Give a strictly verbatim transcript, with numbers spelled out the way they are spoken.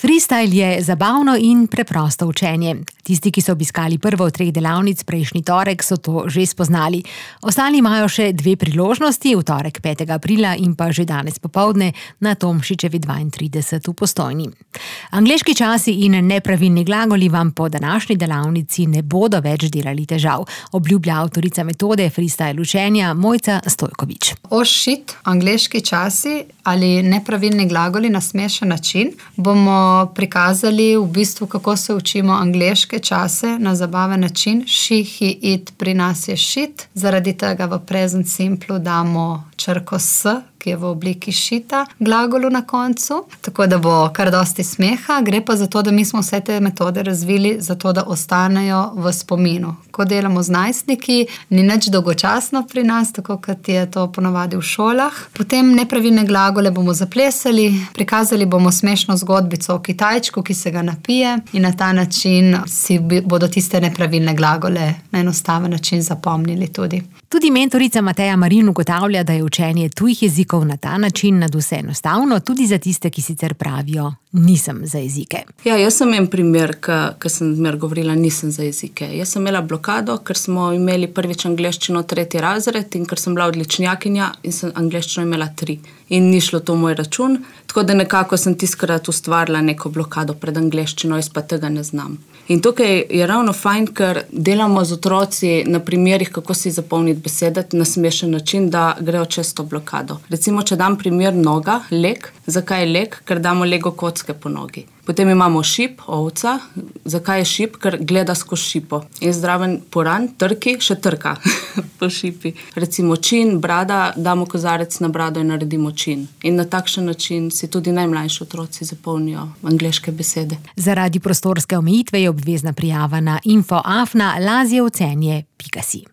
Freestyle je zabavno in preprosto učenje. Tisti, ki so obiskali prvo od treh delavnic prejšnji torek, so to že spoznali. Ostali imajo še dve priložnosti, v torek petega aprila in pa že danes popoldne na Tomšičevi dvaintrideset v Postojni. Angleški časi in nepravilni glagoli vam po današnji delavnici ne bodo več delali težav, obljublja avtorica metode freestyle učenja Mojca Stojković. Oh shit, angleški časi ali nepravilni glagoli na smešen način bomo prikazali v bistvu, kako se učimo angleške čase na zabaven način. She, he, it, pri nas je shit. Zaradi tega v present simple damo črko s, ki je v obliki šita, glagolu na koncu, tako da bo kar dosti smeha. Gre pa za to, da mi smo vse te metode razvili, zato da ostanejo v spominu. Ko delamo z najstniki, ni nič dolgočasno pri nas, tako kot je to ponavadi v šolah. Potem nepravilne glagole bomo zaplesali, prikazali bomo smešno zgodbico o Kitajčku, ki se ga napije, in na ta način si bodo tiste nepravilne glagole na enostaven način zapomnili tudi. Tudi mentorica Mateja Marin ugotavlja, da je učenje tujih jezikov na ta način nadvse enostavno, tudi za tiste, ki sicer pravijo, nisem za jezike. Ja, jaz sem en primer, ko sem zmer govorila, nisem za jezike. Jaz sem imela blokado, ker smo imeli prvič angleščino tretji razred in ker sem bila odličnjakinja in sem angleščino imela tri. In ni šlo to moj račun, tako da nekako sem tiskrat ustvarila neko blokado pred angleščino, jaz pa tega ne znam. In tukaj je ravno fajn, ker delamo z otroci na primerih, kako si zapomniti besede na smešen način, da grejo čez to blokado. Recimo, če dam primer noga, leg. Zakaj je leg? Ker damo lego kocke po nogi. Potem imamo šip, ovca. Zakaj je šip? Ker gleda skozi šipo. In zdraven puran, trki, še trka po šipi. Recimo čin, brada, damo kozarec na brado in naredimo čin. In na takšen način si tudi najmlajši otroci zapomnijo angleške besede. Zaradi prostorske omejitve je obvezna prijava na info afna lazjeucenje pika si.